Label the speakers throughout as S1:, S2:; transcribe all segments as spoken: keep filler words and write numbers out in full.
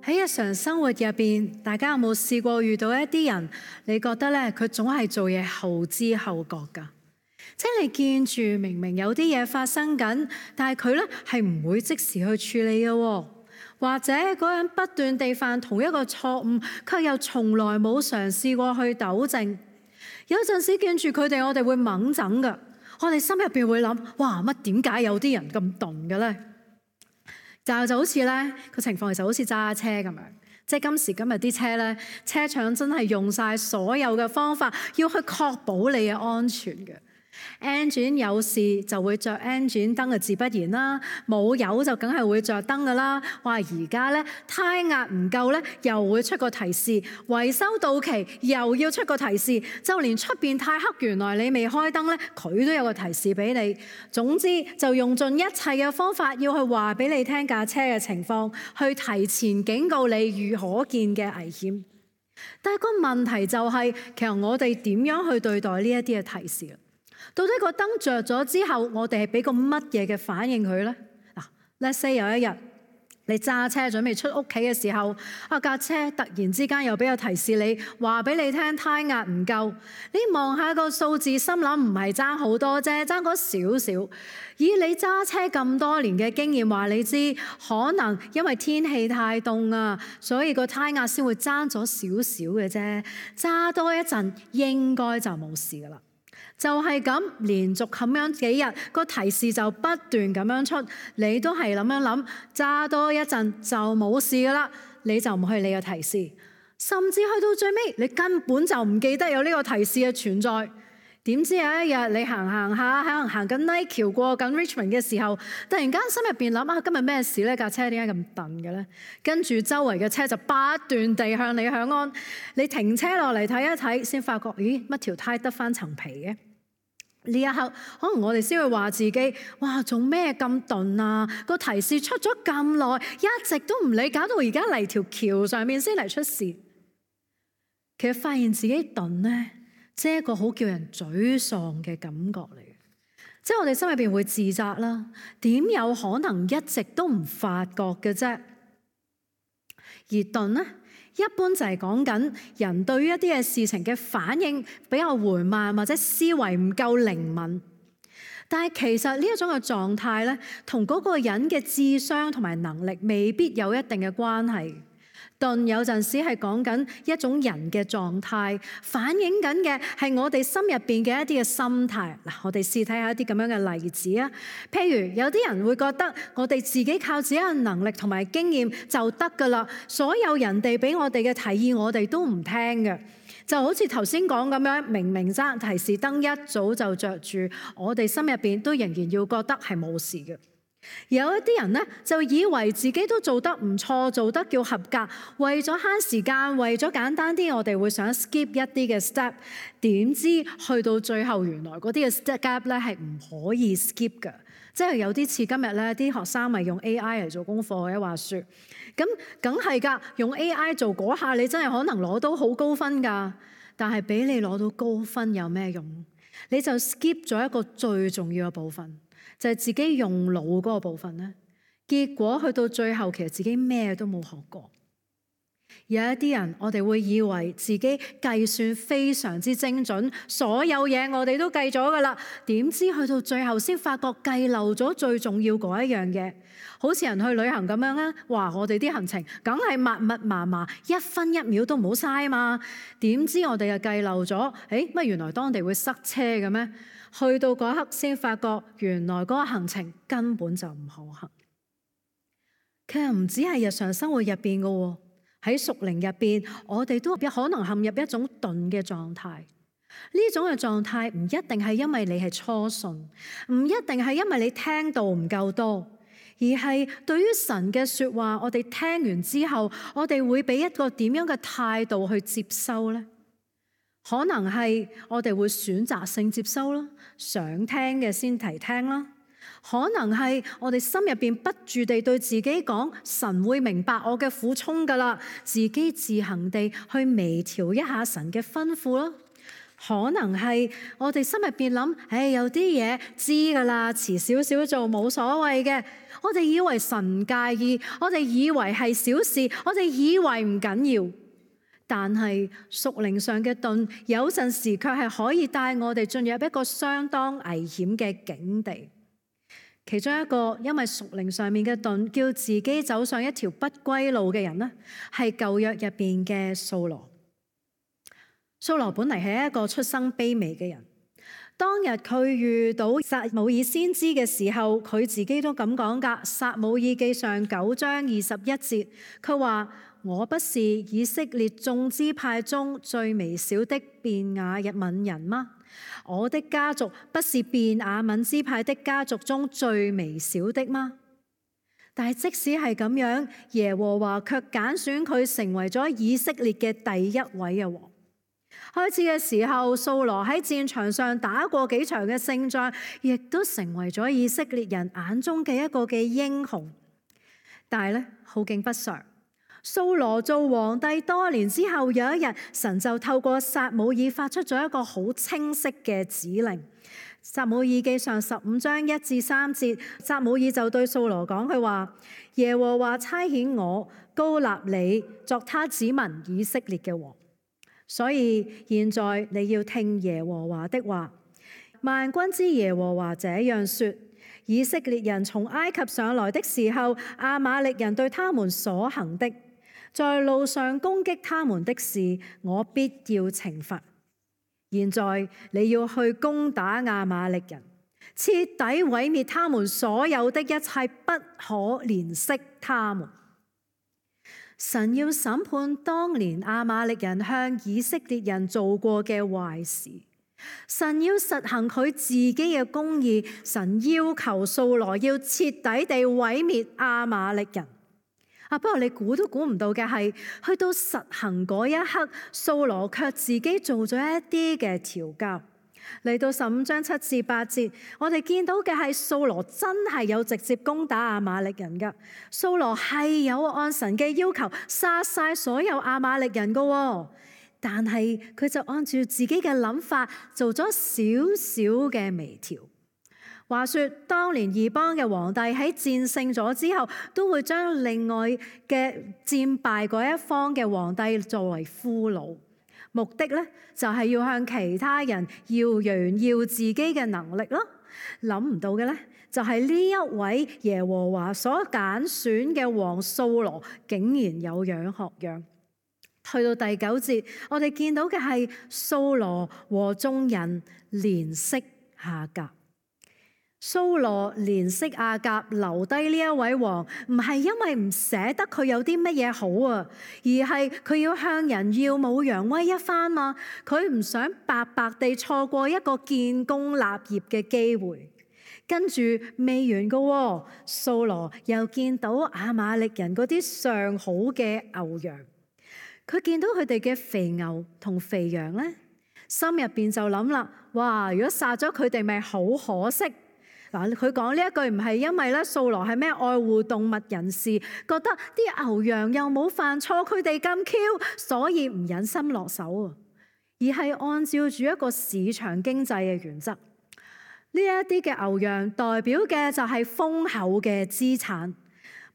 S1: 喺日常生活入邊，大家有冇試過遇到一啲人，你覺得咧佢總係做嘢後知後覺㗎？即係你見住明明有啲嘢發生緊，但係佢咧係唔會即時去處理嘅喎，或者嗰個人不斷地犯同一個錯誤，卻又從來冇嘗試過去糾正。有陣時見住佢哋，我哋會猛整㗎，我哋心入邊會諗：哇，乜點解有啲人咁鈍嘅咧？就就好似咧個情況，其實好似揸車咁樣，即係今時今日啲車咧，車廠真係用晒所有嘅方法，要去確保你嘅安全嘅。engine 有事就會着 engine 燈嘅自不然啦，冇油就梗係會着燈噶啦。話而家咧胎壓唔夠咧，又會出個提示；維修到期又要出個提示。就連出邊太黑，原來你未開燈咧，佢都有個提示俾你。總之就用盡一切嘅方法，要去話俾你聽架車嘅情況，去提前警告你遇可見嘅危險。但係個問題就係，其實我哋點樣去對待呢一啲嘅提示？到底個燈着咗之後，我哋係俾個乜嘢嘅反應佢呢？嗱，let's say 有一日你揸車準備出屋企嘅時候，啊架車突然之間又俾個提示你，話俾你聽胎壓唔夠。你望下個數字，心諗唔係爭好多啫，爭嗰少少。以你揸車咁多年嘅經驗，話你知可能因為天氣太凍啊，所以個胎壓先會爭咗少少嘅啫。揸多一陣應該就冇事噶啦。就係咁，連續咁樣幾日，個提示就不斷咁樣出，你都係咁樣諗，揸多一陣就冇事噶啦，你就唔去理個提示，甚至去到最尾，你根本就唔記得有呢個提示嘅存在。點知有一日你行行下，可能行緊 Nike 橋過緊 Richmond 嘅時候，突然間心入邊諗啊，今日咩事呢？架車點解咁頓嘅呢？跟住周圍嘅車就不斷地向你響安，你停車落嚟睇一睇，先發覺咦，乜條胎得翻層皮嘅？呢一刻，可能我哋先會話自己：哇，做咩咁鈍啊？個提示出咗咁耐，一直都唔理，搞到而家嚟條橋上面先嚟出事。其實發現自己鈍呢，即係一個好叫人沮喪嘅感覺嚟嘅，即係我哋心入邊會自責啦。點有可能一直都唔發覺嘅啫？而鈍呢，一般就係講緊人對於一啲嘅事情嘅反應比較緩慢，或者思維唔夠靈敏。但係其實呢一種嘅狀態咧，同嗰個人嘅智商同埋能力未必有一定嘅關係。鈍有陣時係講緊一種人嘅狀態，反映緊嘅係我哋心入邊嘅一啲嘅心態。嗱，我哋試睇下一啲咁樣嘅例子啊。譬如有啲人會覺得我哋自己靠自己嘅能力同埋經驗就得㗎啦，所有人哋俾我哋嘅提議我哋都唔聽嘅。就好似頭先講咁樣，明明爭提示燈一早就着住，我哋心入邊都仍然要覺得係冇事嘅。有一啲人呢，就以為自己都做得唔錯，做得叫合格，為咗慳時間，為咗簡單啲，我哋會想 skip 一啲嘅 step。點知去到最後，原來嗰啲嘅 step 咧係唔可以 skip 嘅，即係有啲似今日咧啲學生咪用 A I 嚟做功課嘅話説，咁梗係㗎，用 A I 做嗰下你真係可能攞到好高分㗎，但係俾你攞到高分有咩用？你就 skip 咗一個最重要嘅部分。就係自己用腦嗰個部分咧，結果去到最後，其實自己咩都冇學過。有一啲人，我哋會以為自己計算非常之精準，所有嘢我哋都計咗噶啦，點知去到最後先發覺計漏咗最重要嗰一樣嘢。好似人去旅行咁樣啊，哇！我哋啲行程梗係密密麻麻，一分一秒都唔好嘥嘛。點知我哋又計漏咗？誒乜原來當地會塞車嘅咩？去到嗰刻先發覺，原來嗰個行程根本就唔可行。其實唔止係日常生活入邊嘅喎，喺屬靈入邊，我哋都可能陷入一種鈍嘅狀態。呢種嘅狀態唔一定係因為你係初信，唔一定係因為你聽到唔夠多，而係對於神嘅説話，我哋聽完之後，我哋會俾一個點樣嘅態度去接收呢？可能係我哋會選擇性接收啦，想聽嘅先提聽啦。可能係我哋心入邊不住地對自己講，神會明白我嘅苦衷㗎啦，自己自行地去微調一下神嘅吩咐啦。可能係我哋心入邊諗，唉，有啲嘢知噶啦，遲少少做冇所謂嘅。我哋以為神唔介意，我哋以為係小事，我哋以為唔緊要。但係屬靈上嘅盾，有陣時卻係可以帶我哋進入一個相當危險嘅境地。其中一個因為屬靈上面嘅盾，叫自己走上一條不歸路嘅人呢，係舊約入邊嘅掃羅。掃羅本嚟係一個出生卑微嘅人。當日佢遇到撒母耳先知嘅時候，佢自己都咁講㗎。撒母耳記上九章二十一節，佢話：我不是以色列眾支派中最微小的便雅憫人嗎？我的家族不是便雅憫支派的家族中最微小的嗎？但係即使係咁樣，耶和華卻揀選佢成為咗以色列嘅第一位嘅王。開始嘅時候，掃羅喺戰場上打過幾場嘅勝仗，亦都成為咗以色列人眼中嘅一個嘅英雄。但係咧，好景不常，掃羅做皇帝多年之後，有一日神就透過撒母耳發出咗一個好清晰嘅指令。撒母耳記上十五章一至三節，撒母耳就對掃羅講，佢話：耶和華差遣我膏立你作他子民以色列嘅王。所以現在你要聽耶和華的話。萬軍之耶和華這樣說：以色列人從埃及上來的時候，亞瑪力人對他們所行的，在路上攻擊他們的事，我必要懲罰。現在你要去攻打亞瑪力人，徹底毀滅他們所有的一切，不可憐惜他們。神要審判當年亞瑪力人向以色列人做過嘅壞事，神要實行佢自己嘅公義，神要求掃羅要徹底地毀滅亞瑪力人。啊，不過你估都估唔到嘅係，去到實行嗰一刻，掃羅卻自己做咗一啲嘅調教。嚟到十五章七至八節，我哋見到嘅係掃羅真係有直接攻打亞瑪力人噶。掃羅係有按神嘅要求殺晒所有亞瑪力人噶，但係佢就按照自己嘅諗法做咗少少嘅微調。話說當年異邦嘅皇帝喺戰勝咗之後，都會將另外嘅戰敗嗰一方嘅皇帝作為俘虜。目的咧就係要向其他人要炫耀自己嘅能力咯。諗唔到嘅咧就係呢一位耶和華所揀選嘅王掃羅，竟然有樣學樣。去到第九節，我哋見到嘅係掃羅和眾人憐惜亞甲。掃羅憐惜亞甲，留低呢一位王，唔係因為唔捨得佢有啲乜嘢好啊，而係佢要向人耀武揚威一番嘛。佢唔想白白地錯過一個建功立業嘅機會。跟住未完噶，掃羅又見到亞瑪力人嗰啲上好嘅牛羊，佢見到佢哋嘅肥牛同肥羊呢，心入邊就諗啦：哇！如果殺咗佢哋，咪好可惜。嗱，佢講呢一句唔係因為咧掃羅係咩愛護動物人士，覺得啲牛羊又冇犯錯，佢哋咁 Q， 所以唔忍心落手啊，而係按照住一個市場經濟嘅原則。呢一啲嘅牛羊代表嘅就係豐厚嘅資產，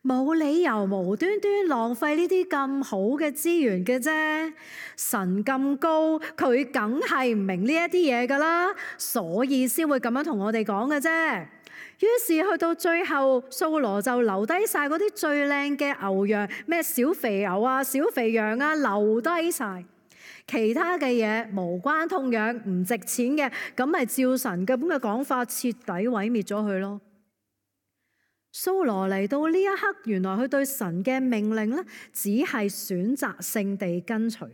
S1: 冇理由無端端浪費呢啲咁好嘅資源嘅啫。神咁高，佢梗係唔明呢一啲嘢噶啦，所以先會咁樣同我哋講嘅啫。於是去到最後，掃羅就留低晒嗰啲最靚嘅牛羊，咩小肥牛啊、小肥羊啊，留低晒。其他嘅嘢無關痛癢，唔值錢嘅，咁咪照神咁嘅講法，徹底毀滅咗佢咯。掃羅嚟到呢一刻，原來佢對神嘅命令咧，只係選擇性地跟隨，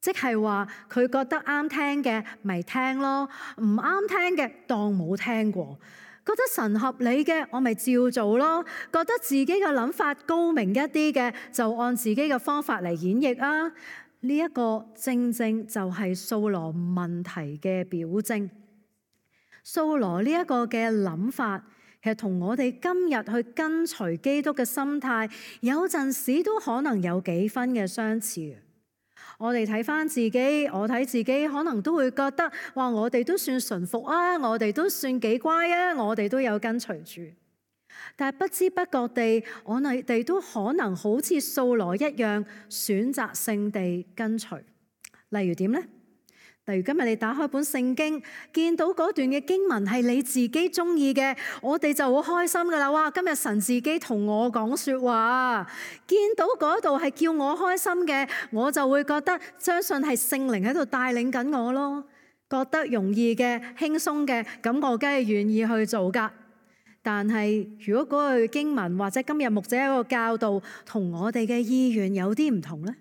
S1: 即係話佢覺得啱聽嘅咪聽咯，唔啱聽嘅當冇聽過。覺得神合理嘅，我咪照做咯。覺得自己嘅諗法高明一啲嘅，就按自己嘅方法嚟演繹啊。呢一個正正就係掃羅問題嘅表徵。掃羅呢一個嘅諗法，其實同我哋今日去跟隨基督嘅心態，有陣時都可能有幾分嘅相似。我哋睇返自己，我睇自己，可能都會覺得，哇！我哋都算順服啊，我哋都算幾乖啊，我哋都有跟隨住。但係不知不覺地，我哋都可能好似掃羅一樣，選擇性地跟隨。例如點呢？例如今日你打開本聖經，見到嗰段嘅經文係你自己中意嘅，我哋就好開心噶啦！哇，今日神自己同我講說話，見到嗰度係叫我開心嘅，我就會覺得相信係聖靈喺度帶領緊我咯。覺得容易嘅、輕鬆嘅，咁我梗係願意去做噶。但係如果嗰句經文或者今日牧者一個教導同我哋嘅意願有啲唔同呢？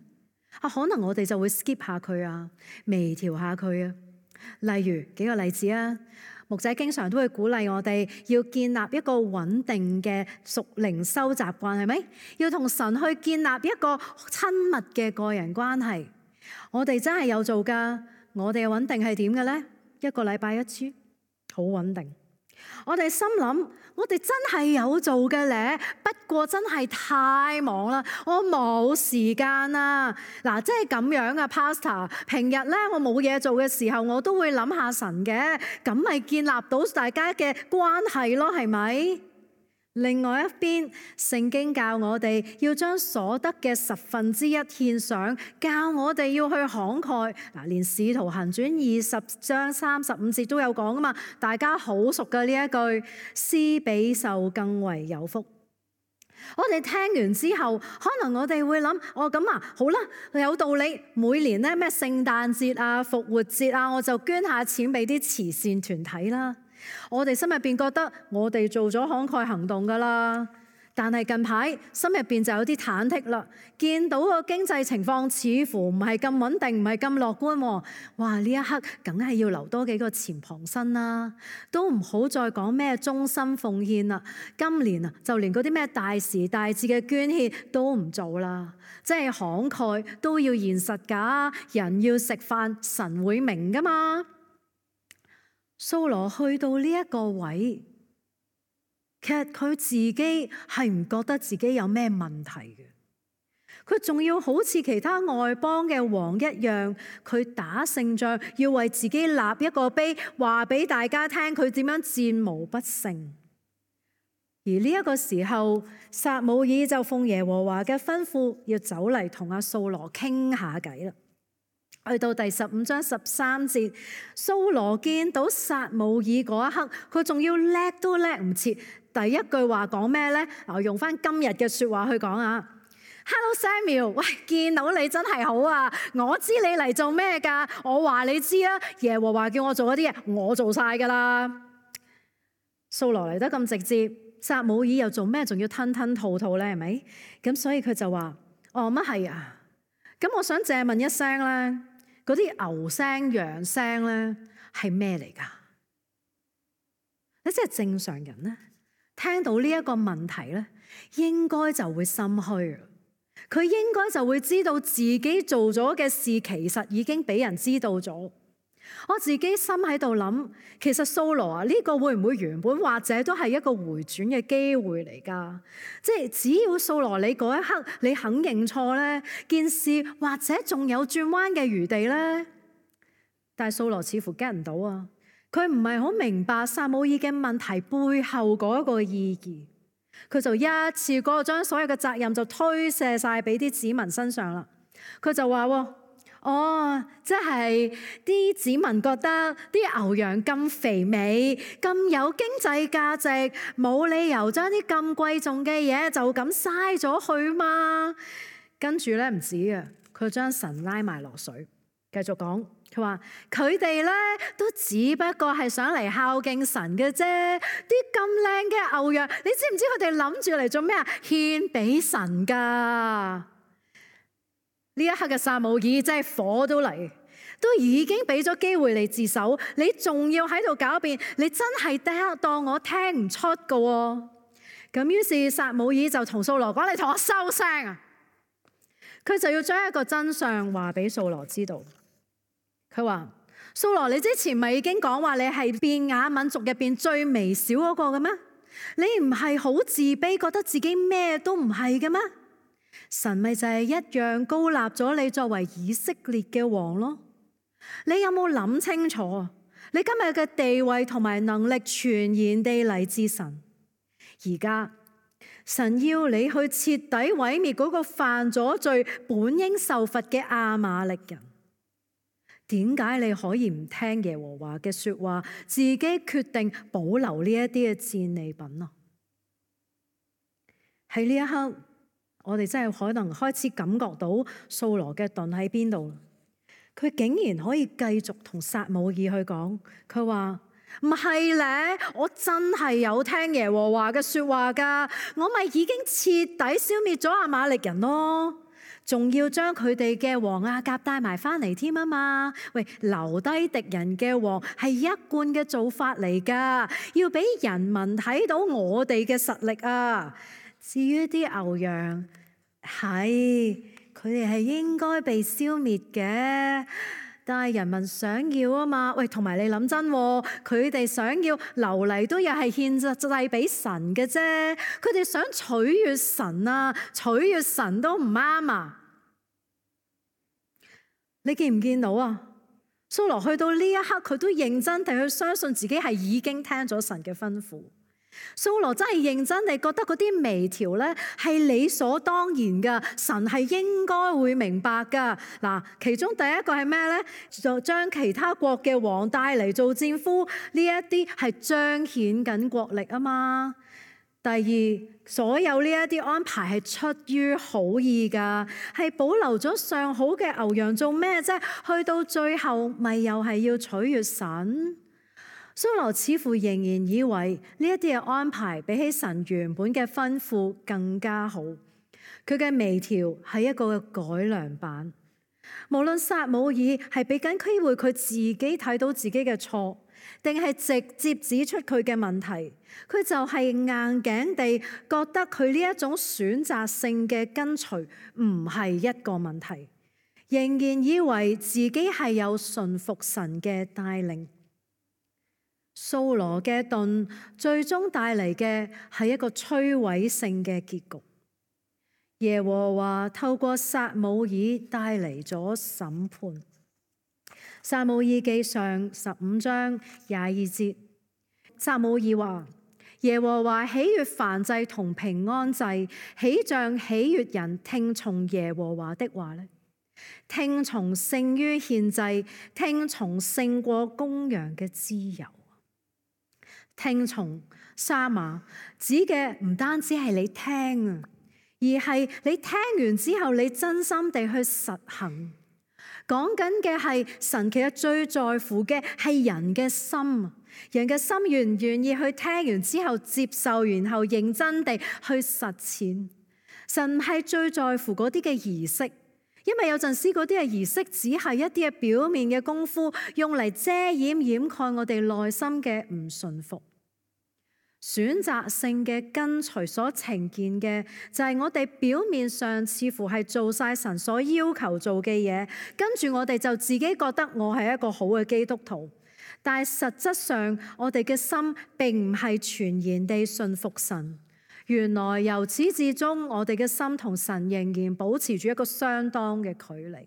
S1: 啊，可能我哋就會 skip 下佢啊，微調下佢啊。例如幾個例子啊，牧者經常都會鼓勵我哋要建立一個穩定嘅屬靈修習慣，係咪？要同神去建立一個親密嘅個人關係。我哋真係有做㗎。我哋嘅穩定係點嘅呢？一個禮拜一次，好穩定。我哋心諗，我哋真係有做嘅咧，不過真係太忙啦，我冇時間啊！嗱，即係咁樣啊 Pastor， 平日咧我冇嘢做嘅時候，我都會諗下神嘅，咁咪建立到大家嘅關係咯，係咪？另外一邊，聖經教我哋要將所得嘅十分之一獻上，教我哋要去慷慨。嗱，連使徒行傳二十章三十五節都有講噶嘛，大家好熟嘅呢一句，施比受更為有福。我哋聽完之後，可能我哋會諗，哦咁啊，好啦，有道理。每年咧咩聖誕節啊、復活節啊，我就捐下錢俾啲慈善團體啦。我哋心入邊覺得我哋做咗慷慨行動噶啦，但係近排心入邊就有啲忐忑啦。見到個經濟情況似乎唔係咁穩定，唔係咁樂觀。哇！呢一刻梗係要留多幾個錢傍身啦，都唔好再講咩忠心奉獻啦。今年啊，就連嗰啲咩大時大節嘅捐獻都唔做啦。即係慷慨都要現實㗎，人要食飯，神會明㗎嘛。掃羅去到呢一個位，其實佢自己係唔覺得自己有咩問題嘅，佢仲要好似其他外邦嘅王一樣，佢打勝仗要為自己立一個碑，話俾大家聽佢點樣戰無不勝。而呢一個時候，撒母耳就奉耶和華嘅吩咐，要走嚟同阿掃羅傾下偈啦。去到第十五章十三節，掃羅見到撒母耳嗰一刻，佢仲要叻都叻唔切。第一句話講咩呢？我用翻今日嘅說話去講啊。Hello Samuel， 喂，見到你真係好啊！我知你嚟做咩噶？我話你知啊，耶和華叫我做嗰啲嘢，我做晒噶啦。掃羅嚟得咁直接，撒母耳又做咩？仲要吞吞吐吐呢？係咪？咁所以佢就話：哦，乜係啊？咁我想借問一聲咧。嗰啲牛聲、羊聲咧係咩嚟㗎？你即係正常人咧，聽到呢一個問題咧，應該就會心虛。佢應該就會知道自己做咗嘅事其實已經俾人知道咗。我自己心喺度諗，其實掃羅啊，呢個會唔會原本或者都係一個回轉嘅機會嚟㗎？即係只要掃羅你嗰一刻你肯認錯咧，件事或者仲有轉彎嘅餘地咧。但係掃羅似乎 get 唔到啊，佢唔係好明白撒母耳嘅問題背後嗰個意義，佢就一次過將所有嘅責任就推卸晒俾啲子民身上啦。佢就話喎。哦，即係啲子民覺得啲牛羊咁肥美，咁有經濟價值，冇理由將啲咁貴重嘅嘢就咁嘥咗去嘛。跟住咧唔止啊，佢將神拉埋落水，繼續講，佢話佢哋咧都只不過係想嚟孝敬神嘅啫。啲咁靚嘅牛羊，你知唔知佢哋諗住嚟做咩啊？獻俾神噶。呢一刻嘅撒母耳真係火都嚟，都已經俾咗機會你自首，你仲要喺度狡辯，你真係當我聽唔出噶喎。咁於是撒母耳就同掃羅講：你同我收聲啊！佢就要將一個真相話俾掃羅知道。佢話：掃羅，你之前咪已經講話你係便雅憫族入邊最微小嗰個嘅咩？你唔係好自卑，覺得自己咩都唔係嘅咩？神咪就係一樣高立咗你作為以色列嘅王咯。你有冇諗清楚？你今日嘅地位同埋能力全然地嚟自神。而家神要你去徹底毀滅嗰個犯咗罪、本應受罰嘅亞瑪力人。點解你可以唔聽耶和華嘅說話，自己決定保留呢一啲嘅戰利品啊？喺呢一刻，我哋真係可能開始感覺到掃羅嘅盾喺邊度。佢竟然可以繼續同撒母耳去講，佢話唔係咧，我真係有聽耶和華嘅說話噶，我咪已經徹底消滅咗亞瑪力人咯，仲要將佢哋嘅王亞甲帶埋翻嚟添啊嘛。喂，留低敵人嘅王係一貫嘅做法嚟噶，要俾人民睇到我哋嘅實力啊。至於啲牛羊，係佢哋係應該被消滅嘅，但係人民想要啊嘛。喂，同埋你諗真，佢哋想要留嚟都又係獻祭俾神嘅啫。佢哋想取悅神啊，取悅神都唔啱啊。你見唔見到啊？掃羅去到呢一刻，佢都認真地去相信自己係已經聽咗神嘅吩咐。掃羅真係認真地覺得嗰啲微調咧係理所當然噶，神係應該會明白噶。嗱，其中第一個係咩咧？就將其他國嘅王帶嚟做戰俘，呢一啲係彰顯緊國力啊嘛。第二，所有呢一啲安排係出於好意噶，係保留咗上好嘅牛羊做咩啫？去到最後咪又係要取悅神。掃羅似乎仍然以為呢一啲嘅安排比起神原本嘅吩咐更加好。佢嘅微調係一個改良版。無論撒母耳係俾緊機會佢自己睇到自己嘅錯，定係直接指出佢嘅問題，佢就係硬頸地覺得佢呢一種選擇性嘅跟隨唔係一個問題，仍然以為自己係有順服神嘅帶領。掃羅嘅盾最終帶嚟嘅係一個摧毀性嘅結局。耶和華透過撒母耳帶嚟咗審判。撒母耳記上十五章廿二節，撒母耳話：耶和華喜悅燔祭同平安祭，豈像喜悅人聽從耶和華的話呢？聽從勝於獻祭，聽從勝過公羊嘅脂油。聽從沙馬指嘅唔單止係你聽啊，而係你聽完之後你真心地去實行。講緊嘅係神其實最在乎嘅係人嘅心，人嘅心願唔願意去聽完之後接受，然後認真地去實踐。神係最在乎嗰啲嘅儀式，因為有陣時嗰啲嘅儀式只係一啲嘅表面嘅功夫，用嚟遮掩掩蓋我哋內心嘅唔順服。選擇性嘅跟隨所呈現嘅就係我哋表面上似乎係做晒神所要求做嘅嘢，跟住我哋就自己覺得我係一個好嘅基督徒，但係實質上我哋嘅心並唔係全然地順服神。原來由始至終我哋嘅心同神仍然保持住一個相當嘅距離。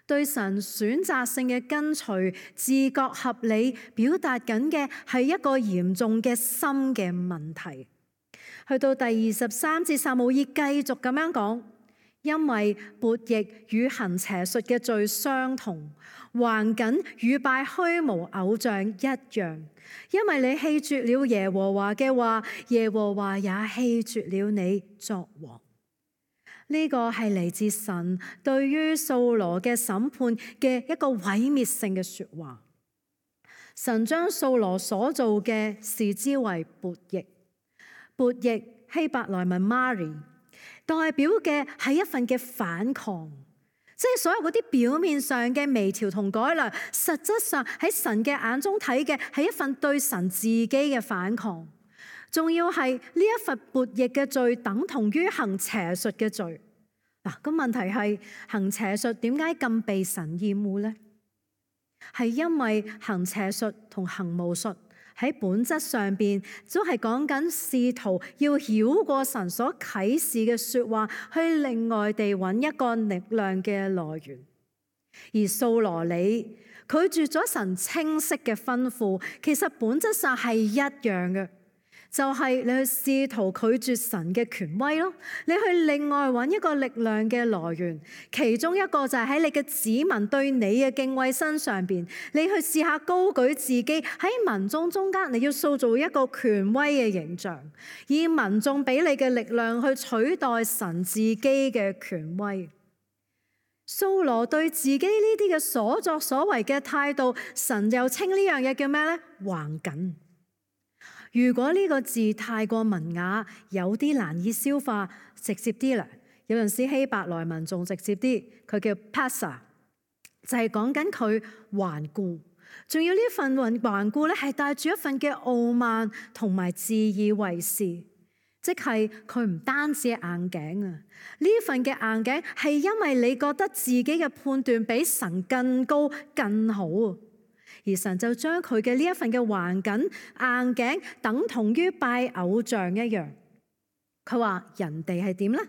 S1: 對神選擇性嘅跟隨，自覺合理，表達緊嘅係一個嚴重嘅心嘅問題。去到第二十三節，撒母耳繼續咁樣講：因為悖逆與行邪術嘅罪相同，橫梗與拜虛無偶像一樣。因為你棄絕了耶和華嘅話，耶和華也棄絕了你作王。呢個係嚟自神對於掃羅嘅審判嘅一個毀滅性嘅說話。神將掃羅所做嘅視之為悖逆，悖逆希伯來文 Mari 代表嘅係一份嘅反抗，即係所有嗰啲表面上嘅微調同改良，實質上喺神嘅眼中睇嘅係一份對神自己嘅反抗。仲要係呢一份悖逆嘅罪等同於行邪術嘅罪。嗱，咁問題係行邪術點解咁被神厭惡呢？係因為行邪術同行巫術喺本質上邊都係講緊試圖要繞過神所啟示嘅說話，去另外地揾一個力量嘅來源。而掃羅你拒絕咗神清晰嘅吩咐，其實本質上係一樣嘅，就係你去試圖拒絕神嘅權威咯。你去另外揾一個力量嘅來源，其中一個就係喺你嘅子民對你嘅敬畏身上邊，你去試下高舉自己喺民眾中間，你要塑造一個權威嘅形象，以民眾俾你嘅力量去取代神自己嘅權威。掃羅對自己呢啲嘅所作所為嘅態度，神又稱呢樣嘢叫咩呢？橫謹。如果呢個字太過文雅，有啲難以消化，直接啲啦。有陣時希伯來文仲直接啲，佢叫 passa， 就係講緊佢頑固，仲要呢份頑固咧係帶住一份嘅傲慢同埋自以為是，即係佢唔單止係硬頸啊！呢份嘅硬頸係因為你覺得自己嘅判斷比神更高更好，而神就將佢嘅呢一份嘅頑謹硬頸等同於拜偶像一樣。佢話人哋係點呢？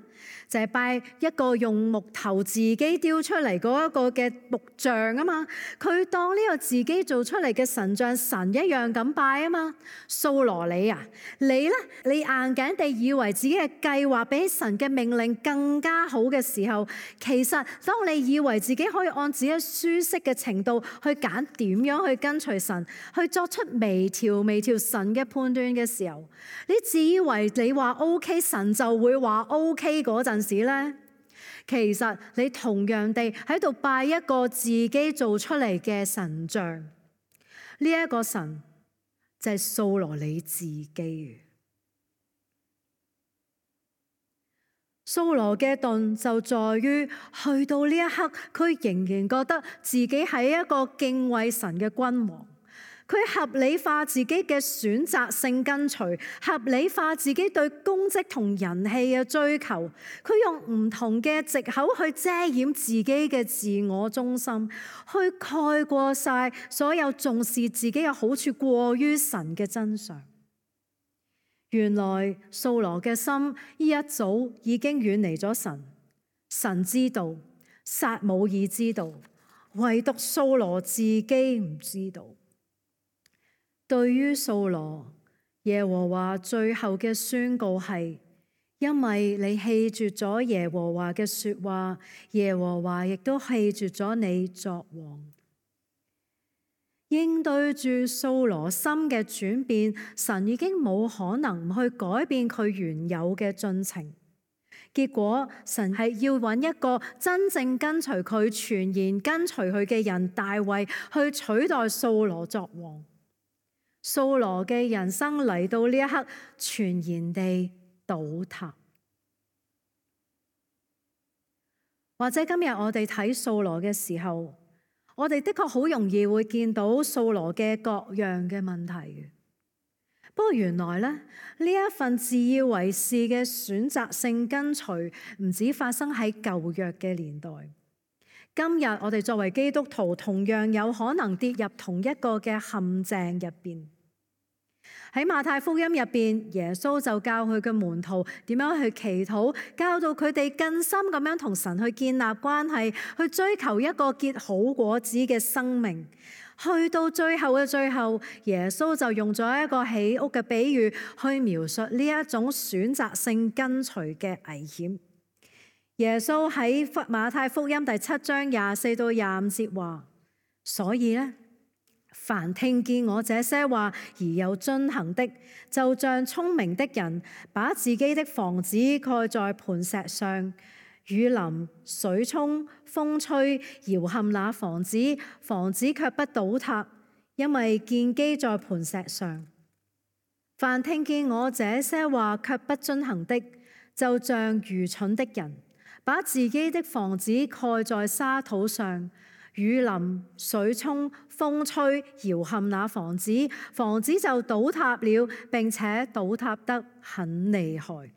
S1: 就係、是、拜一個用木頭自己雕出嚟嗰一個嘅木像啊嘛，佢當呢個自己做出嚟嘅神像神一樣咁拜啊嘛。掃羅你啊，你呢？你硬頸地以為自己嘅計劃比神嘅命令更加好嘅時候，其實當你以為自己可以按自己舒適嘅程度去揀點樣去跟隨神，去作出微調微調神嘅判斷嘅時候，你自以為你話 OK，神就會話 OK 嗰陣時咧，其實你同樣地喺度拜一個自己做出嚟嘅神像。呢、這、一個神就係掃羅你自己。掃羅嘅頓就在於去到呢一刻，佢仍然覺得自己係一個敬畏神嘅君王。佢合理化自己嘅選擇性跟隨，合理化自己對功績同人氣嘅追求。佢用唔同嘅藉口去遮掩自己嘅自我中心，去蓋過晒所有重視自己嘅好處過於神嘅真相。原來掃羅嘅心一早已經遠離咗神，神知道，撒母耳知道，唯獨掃羅自己唔知道。對於掃羅，耶和華最後嘅宣告係：因為你棄絕咗耶和華嘅說話，耶和華亦都棄絕咗你作王。應對住掃羅心嘅轉變，神已經冇可能去改變佢原有嘅進程。結果神係要揾一個真正跟隨佢、全然跟隨佢嘅人大衛去取代掃羅作王。掃羅嘅人生嚟到呢一刻，全然地倒塌。或者今日我哋睇掃羅嘅時候，我哋的確好容易會見到掃羅嘅各樣嘅問題嘅。不過原來咧，呢一份自以為是嘅選擇性跟隨，唔止發生喺舊約嘅年代。今日我哋作為基督徒，同樣有可能跌入同一個嘅陷阱入邊。喺馬太福音入邊，耶穌就教佢嘅門徒點樣去祈禱，教導佢哋更深咁樣同神去建立關係，去追求一個結好果子嘅生命。去到最後嘅最後，耶穌就用咗一個起屋嘅比喻去描述呢一種選擇性跟隨嘅危險。耶穌喺馬太福音第七章廿四到廿五節話：所以呢，凡聽見我這些話而又遵行的，就像聰明的人把自己的房子蓋在磐石上，雨淋、水沖、風吹，搖撼那房子，房子卻不倒塌，因為建基在磐石上。凡聽見我這些話卻不遵行的，就像愚蠢的人把自己的房子蓋在沙土上，雨淋、水沖、風吹，搖撼那房子，房子就倒塌了，並且倒塌得很厲害。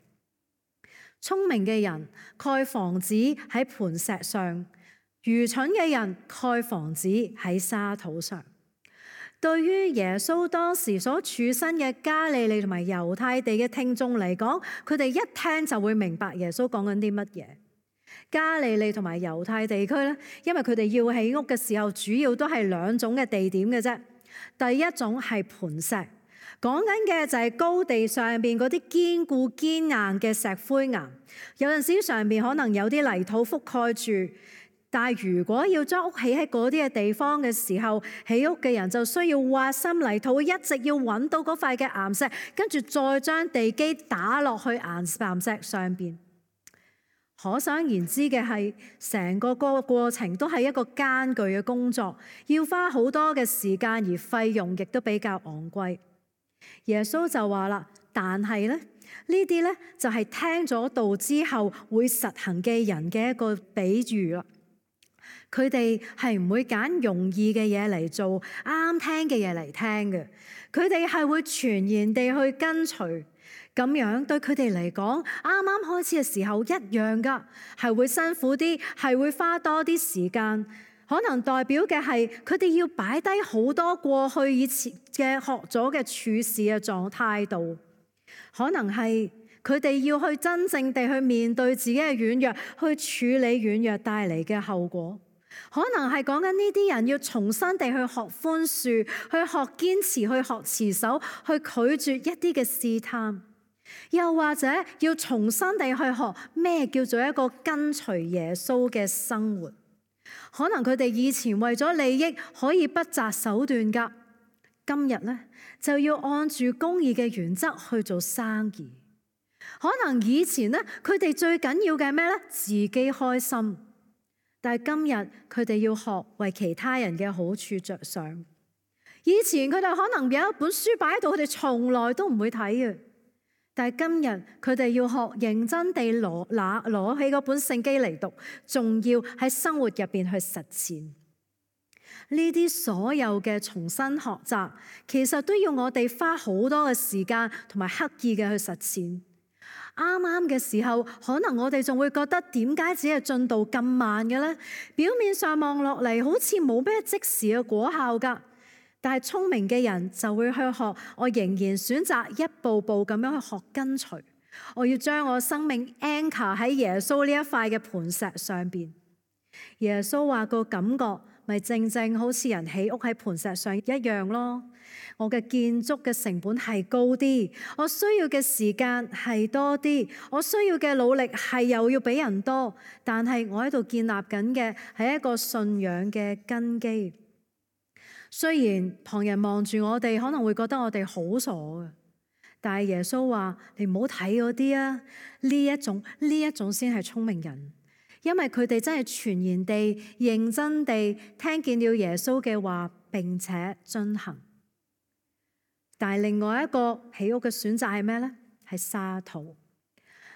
S1: 聰明嘅人蓋房子喺磐石上，愚蠢嘅人蓋房子喺沙土上。對於耶穌當時所處身嘅加利利同埋猶太地嘅聽眾嚟講，佢哋一聽就會明白耶穌講緊啲乜嘢。加利利同埋猶太地區咧，因為佢哋要起屋嘅時候，主要都係兩種嘅地點嘅啫。第一種係磐石，講緊嘅就係高地上邊嗰啲堅固堅硬嘅石灰岩，有陣時上邊可能有啲泥土覆蓋住。但係如果要將屋起喺嗰啲嘅地方嘅時候，起屋嘅人就需要挖深泥土，一直要揾到嗰塊嘅岩石，跟住再將地基打落去岩石上邊。可想而知嘅係，成個個過程都係一個艱巨嘅工作，要花好多嘅時間，而費用亦都比較昂貴。耶穌就話啦，但係咧，呢啲咧就係聽咗道之後會實行嘅人嘅一個比喻啦。佢哋係唔會揀容易嘅嘢嚟做，啱聽嘅嘢嚟聽嘅。佢哋係會全然地去跟隨，咁樣對佢哋嚟講，啱啱開始嘅時候一樣噶，係會辛苦啲，係會花多啲時間。可能代表嘅係佢哋要擺低好多過去以前嘅學咗嘅處事嘅狀態度，可能係佢哋要去真正地去面對自己嘅軟弱，去處理軟弱帶嚟嘅後果。可能係講緊呢啲人要重新地去學寬恕，去學堅持，去學持守，去拒絕一啲嘅試探，又或者要重新地去學咩叫做一個跟隨耶穌嘅生活。可能佢哋以前為咗利益可以不擇手段㗎，今日咧就要按住公義嘅原則去做生意。可能以前咧佢哋最緊要嘅係咩咧？自己開心。但係今日佢哋要學為其他人嘅好處着想。以前佢哋可能有一本書擺喺度，佢哋從來都唔會睇嘅。但係今日佢哋要學認真地攞拿攞起嗰本聖經嚟讀，仲要喺生活入邊去實踐。呢啲所有嘅重新學習，其實都要我哋花好多嘅時間同埋刻意嘅去實踐。啱啱嘅時候，可能我哋仲會覺得點解只係進度咁慢嘅咧？表面上望落嚟好似冇咩即時嘅果效㗎。但係聰明嘅人就會去學，我仍然選擇一步步咁樣去學跟隨。我要將我生命 anchor 喺耶穌呢一塊嘅磐石上邊。耶穌話個感覺咪正正好似人起屋喺磐石上一樣咯。我嘅建築嘅成本係高啲，我需要嘅時間係多啲，我需要嘅努力係又要比人多，但係我喺度建立緊嘅係一個信仰嘅根基。雖然旁人望住我哋可能會覺得我哋好傻嘅，但係耶穌話你唔好睇嗰啲啊，呢一種呢一種先係聰明人，因為佢哋真係全然地認真地聽見了耶穌嘅話，並且遵行。但係另外一個起屋嘅選擇係咩呢？係沙土。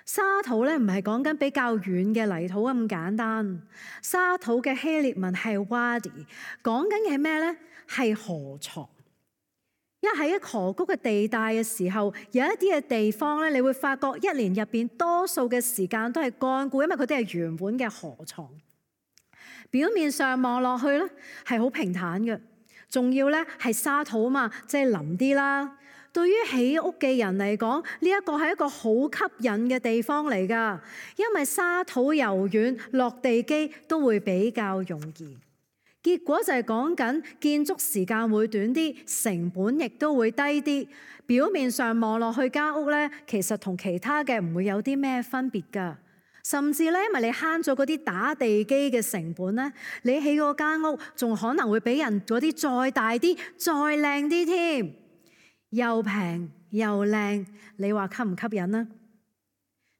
S1: 沙土咧唔係講緊比較軟嘅泥土咁簡單。沙土嘅希臘文係 wadi， 講緊嘅係咩呢？係河床。因為喺一河谷嘅地帶嘅時候，有一啲嘅地方咧，你會發覺一年入邊多數嘅時間都係乾枯，因為佢哋係原本嘅河床。表面上望落去咧係好平坦嘅。仲要咧係沙土啊嘛，即係腍啲啦。對於起屋嘅人嚟講，呢一個係一個好吸引嘅地方嚟㗎，因為沙土柔軟，落地基都會比較容易。結果就係講緊建築時間會短啲，成本亦都會低啲。表面上望落去間屋咧，其實同其他嘅唔會有啲咩分別㗎。甚至咧，因為你慳咗嗰啲打地基嘅成本咧，你起嗰間屋仲可能會比人嗰啲再大啲、再靚啲添，又平又靚，你話吸唔吸引呢？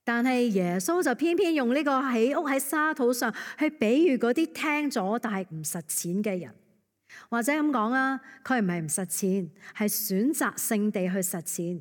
S1: 但係耶穌就偏偏用呢個起屋喺沙土上去比喻嗰啲聽咗但係唔實踐嘅人，或者咁講啊，佢唔係唔實踐，係選擇性地去實踐。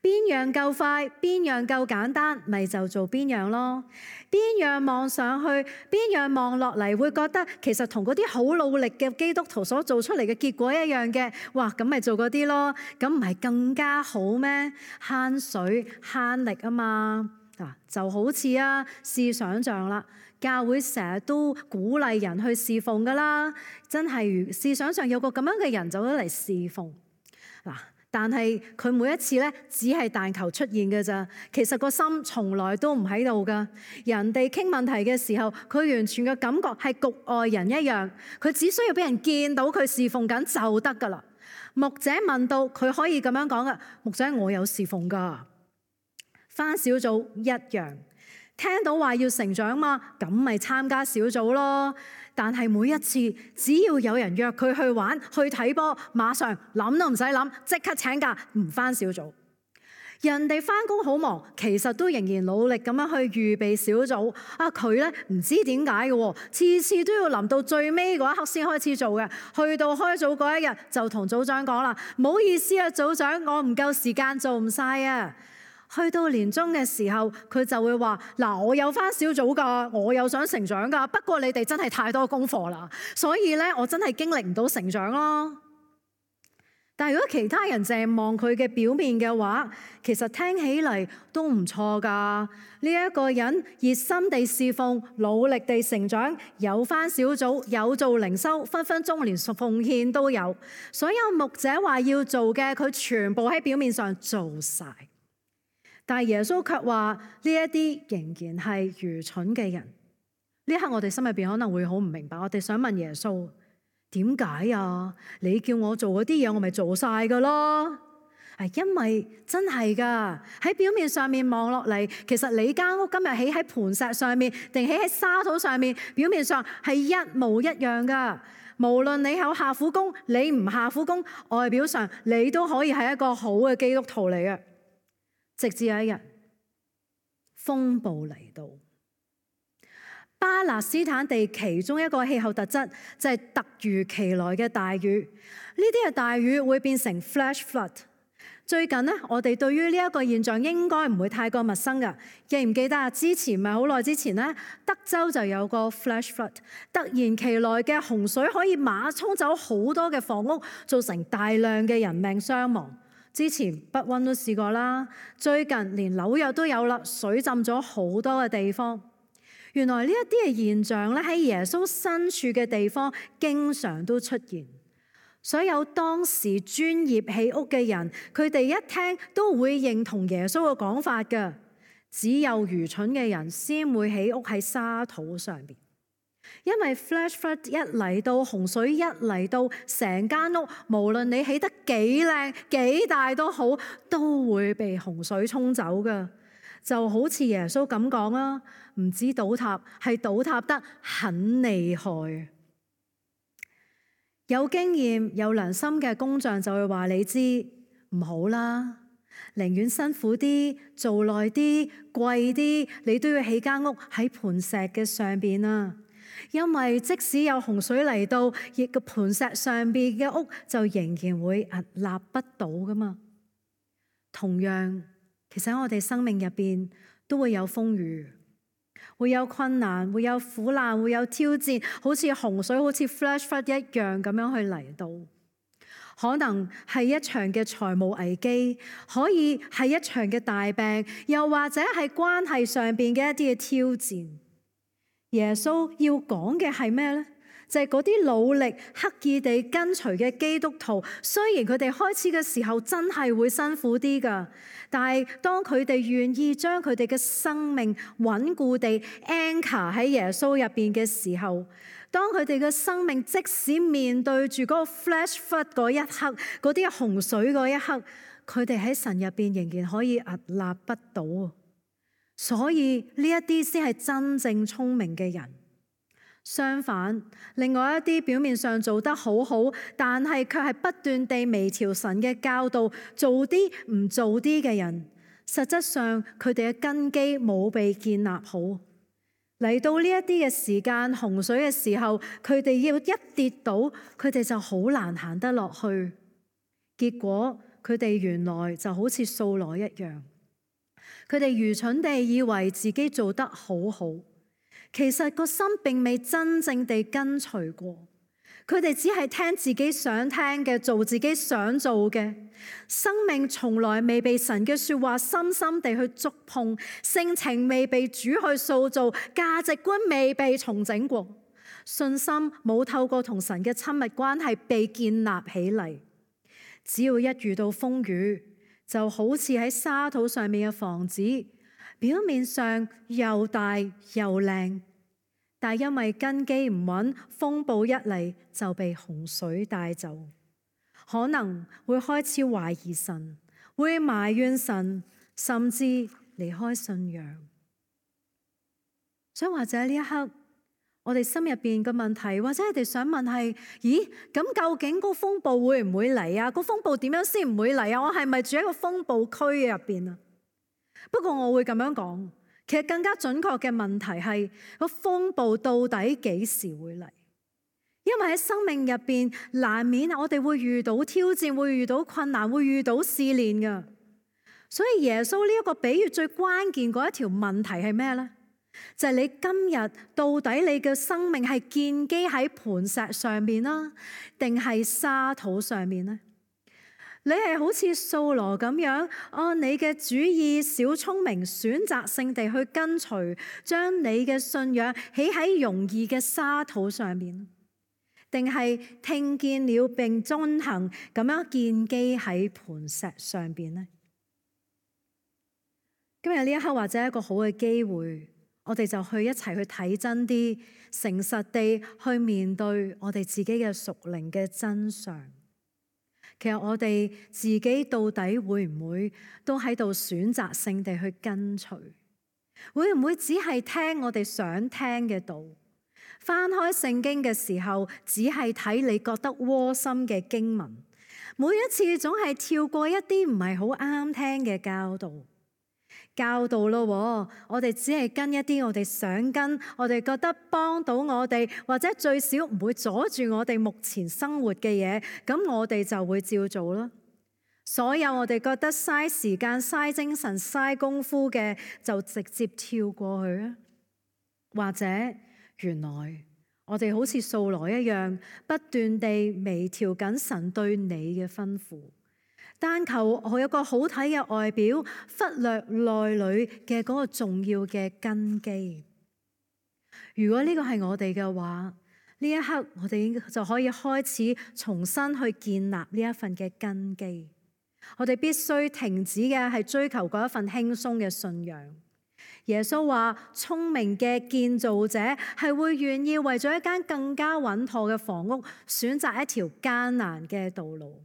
S1: 邊樣夠快，邊樣夠簡單，咪就做邊樣咯。邊樣望上去，邊樣望落嚟，會覺得其實同嗰啲好努力嘅基督徒所做出嚟嘅結果一樣嘅，哇，咁咪做嗰啲咯。咁唔係更加好咩？慳水慳力啊嘛。嗱，就好似啊，試想像啦，教會成日都鼓勵人去侍奉噶啦，真係試想像有個咁樣嘅人走咗嚟侍奉嗱。但係佢每一次咧，只係但求出現嘅咋，其實個心從來都唔喺度噶。人哋傾問題嘅時候，佢完全嘅感覺係局外人一樣，佢只需要俾人見到佢侍奉緊就得噶啦。牧者問到，佢可以咁樣講噶：牧者，我有侍奉噶。返小組一樣，聽到話要成長嘛，咁咪參加小組咯。但係每一次只要有人約佢去玩去睇波，馬上諗都唔使諗，即刻請假唔返小組。人哋返工好忙，其實都仍然努力咁樣去預備小組。啊，佢咧唔知點解嘅，次次都要臨到最尾嗰一刻先開始做嘅。去到開組嗰一日就同組長講啦：唔好意思啊，組長，我唔夠時間做唔晒啊。去到年終嘅時候，佢就會話：嗱，我有返小組㗎，我有想成長㗎，不過你哋真係太多功課啦，所以咧我真係經歷唔到成長咯。但係如果其他人淨係望佢嘅表面嘅話，其實聽起嚟都唔錯㗎。呢一個人熱心地侍奉，努力地成長，有返小組，有做靈修，分分鐘連奉獻都有。所有牧者話要做嘅，佢全部喺表面上做晒。但係耶穌卻話呢一啲仍然係愚蠢嘅人。呢一刻我哋心入邊可能會好唔明白，我哋想問耶穌：點解啊？你叫我做嗰啲嘢，我咪做晒噶咯？係因為真係噶，喺表面上面望落嚟，其實你間屋今日起喺磐石上面，定起喺沙土上面，表面上係一模一樣噶。無論你有下苦功，你唔下苦功，外表上你都可以係一個好嘅基督徒嚟嘅。直至有一日，風暴嚟到。巴勒斯坦地其中一個氣候特質就係突如其來嘅大雨。呢啲嘅大雨會變成 flash flood。最近呢，我哋對於呢一個現象應該唔會太過陌生㗎。記唔記得啊？之前咪好耐之前呢，德州就有個 flash flood，突然其來嘅洪水可以馬沖走好多嘅房屋，造成大量嘅人命傷亡。之前北溫都試過啦，最近連紐約都有啦，水浸咗好多嘅地方。原來呢一啲嘅現象咧，喺耶穌身處嘅地方經常都出現。所有當時專業起屋嘅人，佢哋一聽都會認同耶穌嘅講法㗎。只有愚蠢嘅人先會起屋喺沙土上邊。因為 flash flood 一嚟到，洪水一嚟到，成間屋無論你起得幾靚幾大都好，都會被洪水沖走噶。就好似耶穌咁講啊，唔止倒塌，係倒塌得很厲害。有經驗有良心嘅工匠就會話你知，唔好啦，寧願辛苦啲做耐啲貴啲，你都要起間屋喺磐石嘅上邊啊。因為即使有洪水嚟到，亦個磐石上邊嘅屋就仍然會屹立不倒噶嘛。同樣，其實喺我哋生命入邊都會有風雨，會有困難，會有苦難，會有挑戰，好似洪水，好似 flash flood 一樣咁樣去嚟到。可能係一場嘅財務危機，可以係一場嘅大病，又或者係關係上邊嘅一啲嘅挑戰。耶穌要講嘅係咩呢？就係嗰啲努力刻意地跟隨嘅基督徒，雖然佢哋開始嘅時候真係會辛苦啲㗎，但係當佢哋願意將佢哋嘅生命穩固地 anchor 喺耶穌入邊嘅時候，當佢哋嘅生命即使面對住嗰個 flash flood 嗰一刻，嗰啲洪水嗰一刻，佢哋喺神入邊仍然可以屹立不倒。所以呢一啲先係真正聰明嘅人。相反，另外一啲表面上做得好好，但係卻係不斷地微調神嘅教導，做啲唔做啲嘅人，實質上佢哋嘅根基冇被建立好。嚟到呢一啲嘅時間，洪水嘅時候，佢哋要一跌倒，佢哋就好難行得落去。結果佢哋原來就好似掃羅一樣。佢哋愚蠢地以為自己做得好好，其實個心並未真正地跟隨過。佢哋只係聽自己想聽嘅，做自己想做嘅。生命從來未被神嘅說話深深地去觸碰，性情未被主去塑造，價值觀未被重整過，信心冇透過同神嘅親密關係被建立起嚟。只要一遇到風雨，就好似喺沙土上面嘅房子，表面上又大又靚，但因為根基唔穩，風暴一嚟就被洪水帶走，可能會開始懷疑神，會埋怨神，甚至離開信仰。所以或者呢一刻，我哋心入邊嘅問題，或者你哋想問係：咦，咁究竟個風暴會唔會嚟啊？個風暴點樣先唔會嚟啊？我係咪住喺個風暴區入邊啊？不過我會咁樣講。其實更加準確嘅問題係個風暴到底幾時會嚟？因為喺生命入邊難免我哋會遇到挑戰，會遇到困難，會遇到試煉㗎。所以耶穌呢一個比喻最關鍵嗰一條問題係咩呢？就係你今日到底你嘅生命係建基喺磐石上面啦，定係沙土上面呢？你係好似掃羅咁樣，按你嘅主意小聰明，選擇性地去跟隨，將你嘅信仰起喺容易嘅沙土上面，定係聽見了並遵行，咁樣建基喺磐石上邊呢？今日呢一刻或者一個好嘅機會，我哋就去一齊去睇真啲，誠實地去面對我哋自己嘅屬靈嘅真相。其實我哋自己到底會唔會都喺度選擇性地去跟隨？會唔會只係聽我哋想聽嘅道？翻開聖經嘅時候，只係睇你覺得窩心嘅經文，每一次總係跳過一啲唔係好啱聽嘅教導。教導咯，我哋只係跟一啲我哋想跟，我哋覺得幫到我哋，或者最少唔會阻住我哋目前生活嘅嘢，咁我哋就會照做咯。所有我哋覺得嘥時間、嘥精神、嘥功夫嘅，就直接跳過去啊。或者原來我哋好似掃羅一樣，不斷地微調緊神對你嘅吩咐。但求我有個好睇嘅外表，忽略內裏嘅嗰個重要嘅根基。如果呢個係我哋嘅話，呢一刻我哋就可以開始重新去建立呢一份嘅根基。我哋必須停止嘅係追求嗰一份輕鬆嘅信仰。耶穌話：聰明嘅建造者係會願意為咗一間更加穩妥嘅房屋，選擇一條艱難嘅道路。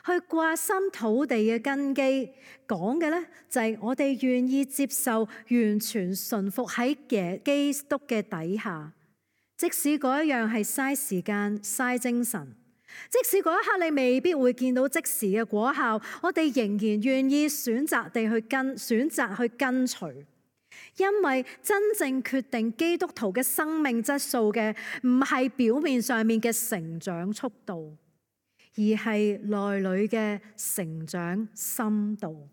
S1: 去掛心土地嘅根基，講嘅呢就係我哋願意接受完全順服喺基督嘅底下，即使嗰一樣係嘥時間、嘥精神，即使嗰一刻你未必會見到即時嘅果效，我哋仍然願意選擇地去跟，選擇去跟隨，因為真正決定基督徒嘅生命質素嘅，唔係表面上面嘅成長速度，而係內裏嘅成長深度。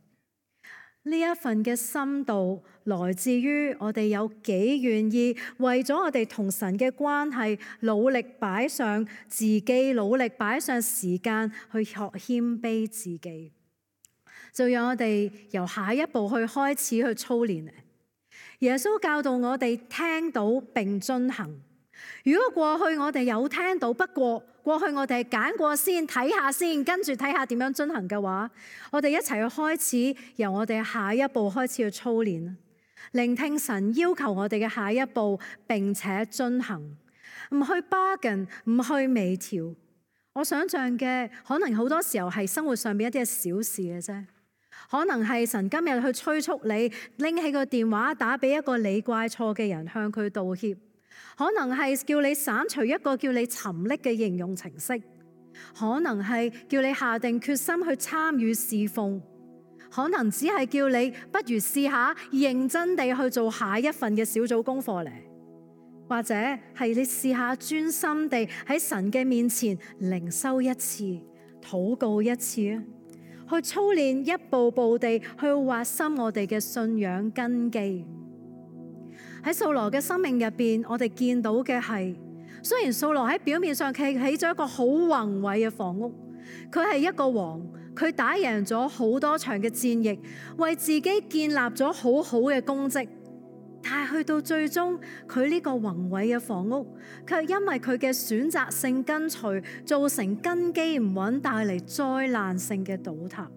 S1: 呢一份嘅深度來自於我哋有幾願意為咗我哋同神嘅關係努力擺上自己，努力擺上時間去學謙卑自己。就讓我哋由下一步去開始去操練。耶穌教導我哋聽到並遵行。如果過去我哋有聽到，不過過去我哋係揀過先睇下先，跟住睇下點樣遵行嘅話，我哋一齊去開始，由我哋下一步開始去操練，聆聽神要求我哋嘅下一步，並且遵行，唔去 bargain， 唔去微調。我想象嘅可能好多時候係生活上面一啲嘅小事嘅啫，可能係神今日去催促你拎起個電話打俾一個你怪錯嘅人，向佢道歉。可能係叫你刪除一個叫你沉溺嘅應用程式，可能係叫你下定決心去參與侍奉，可能只係叫你不如試下認真地去做下一份嘅小組功課嚟，或者係你試下專心地喺神嘅面前靈修一次，禱告一次啊，去操練一步步地去挖深我哋嘅信仰根基。喺掃羅嘅生命入邊，我哋見到嘅係雖然掃羅喺表面上企起咗一個好宏偉嘅房屋，佢係一個王，佢打贏咗好多場嘅戰役，為自己建立咗好好嘅功績。但係去到最終，佢呢個宏偉嘅房屋，卻因為佢嘅選擇性跟隨，造成根基唔穩，帶嚟災難性嘅倒塌。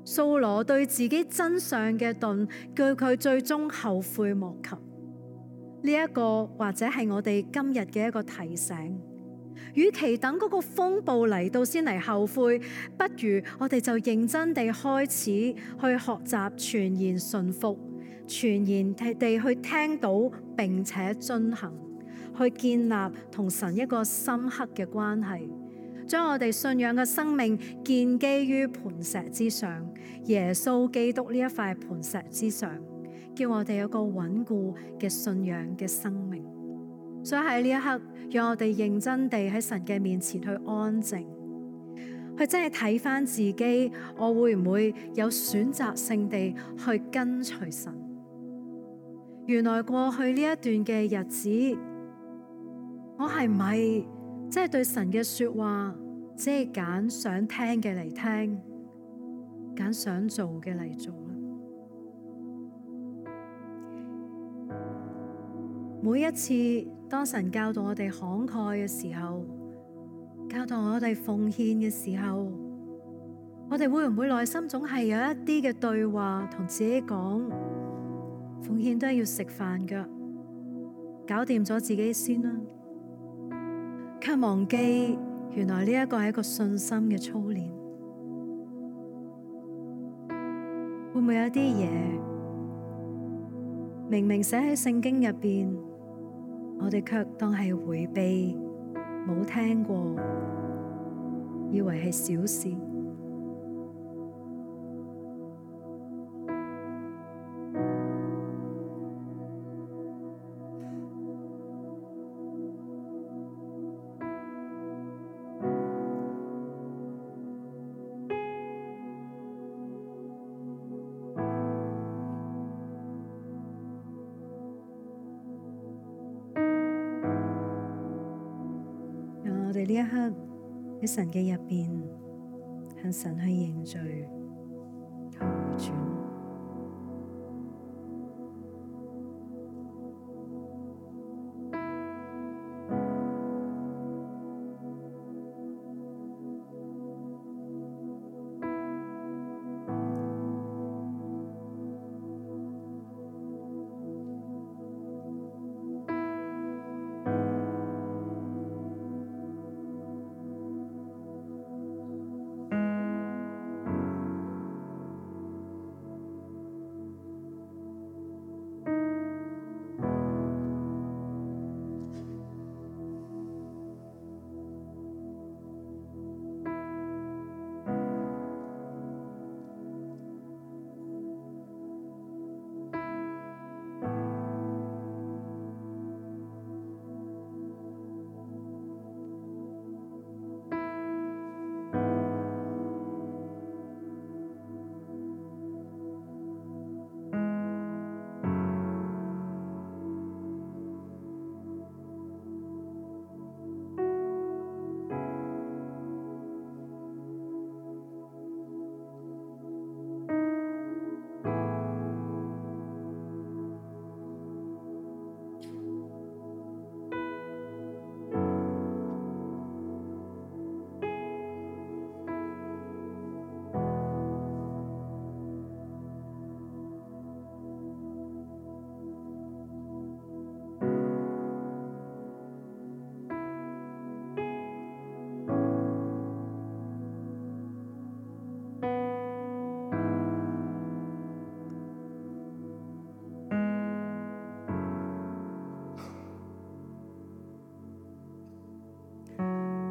S1: 掃羅對自己真相嘅盾，叫佢最終後悔莫及。呢一個或者係我哋今日嘅一個提醒。與其等嗰個風暴嚟到先嚟後悔，不如我哋就認真地開始去學習全然順服，全然地去聽到並且遵行，去建立同神一個深刻嘅關係，將我哋信仰嘅生命建基於磐石之上，耶穌基督呢一塊磐石之上，叫我哋有個穩固嘅信仰嘅生命。所以喺呢一刻，讓我哋認真地喺神嘅面前去安靜，去真係睇返自己，我會唔會有選擇性地去跟隨神？原來過去呢一段嘅日子，我係咪即係對神嘅說話，只係揀想聽嘅嚟聽，揀想做嘅嚟做咧？每一次當神教導我哋慷慨嘅時候，教導我哋奉獻嘅時候，我哋會唔會內心總係有一啲嘅對話同自己講，奉獻都係要食飯㗎，搞掂咗自己先啦，卻忘記原來呢一個係一個信心嘅操練。會唔會有一啲嘢明明寫喺聖經入邊，我哋卻當係迴避，冇聽過，以為係小事？我哋呢一刻喺神嘅入邊，向神去認罪，去回轉。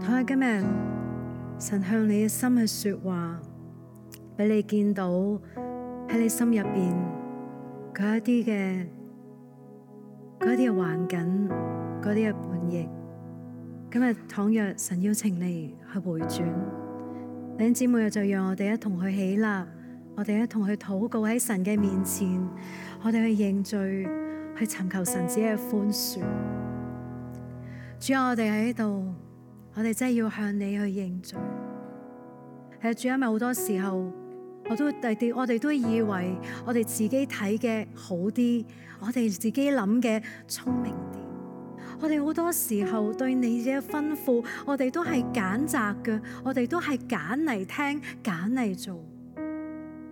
S1: 我今日神向你嘅心去說話，俾你見到喺你心入邊嗰一啲嘅嗰一啲嘅環境，嗰啲嘅叛逆。今日倘若神邀請你去回轉，弟兄姊妹就讓我哋一同去起立，我哋一同去禱告喺神嘅面前，我哋去認罪，去尋求神子嘅寬恕。主啊，我哋喺度，我哋真係要向你去認罪。係啊，主啊，因為好多時候我都第我哋都以為我哋自己睇嘅好啲，我哋自己諗嘅聰明啲。我哋好多時候對你嘅吩咐，我哋都係揀擇嘅，我哋都係揀嚟聽，揀嚟做。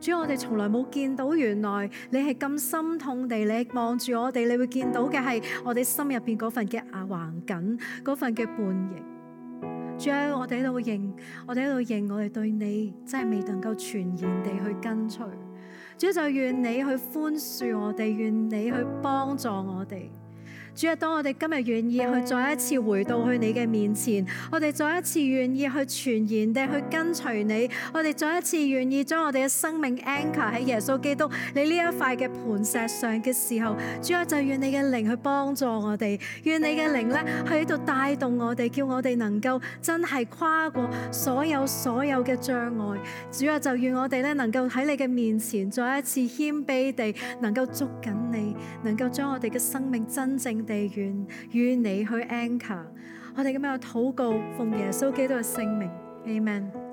S1: 主啊，我哋從來冇見到原來你係咁心痛地，你望住我哋，你會見到嘅係我哋心入邊嗰份嘅啊橫緊，嗰份嘅叛逆。主啊，我哋喺度認，我哋喺度認，我哋對你真係未能夠全然地去跟隨。主啊，就願你去寬恕我哋，願你去幫助我哋。主啊，當我哋今日願意去再一次回到去你嘅面前，我哋再一次願意去全然地去跟隨你，我哋再一次願意將我哋嘅生命 anchor 喺耶穌基督你呢一塊嘅磐石上嘅時候，主啊，就願你嘅靈去幫助我哋，願你嘅靈咧喺度帶動我哋，叫我哋能夠真係跨過所有所有嘅障礙。主啊，就願我哋咧能夠喺你嘅面前再一次謙卑地能夠捉緊你，能夠將我哋嘅生命真正地願與你去 anchor。我哋咁樣禱告，奉耶穌基督嘅聖名 ，Amen。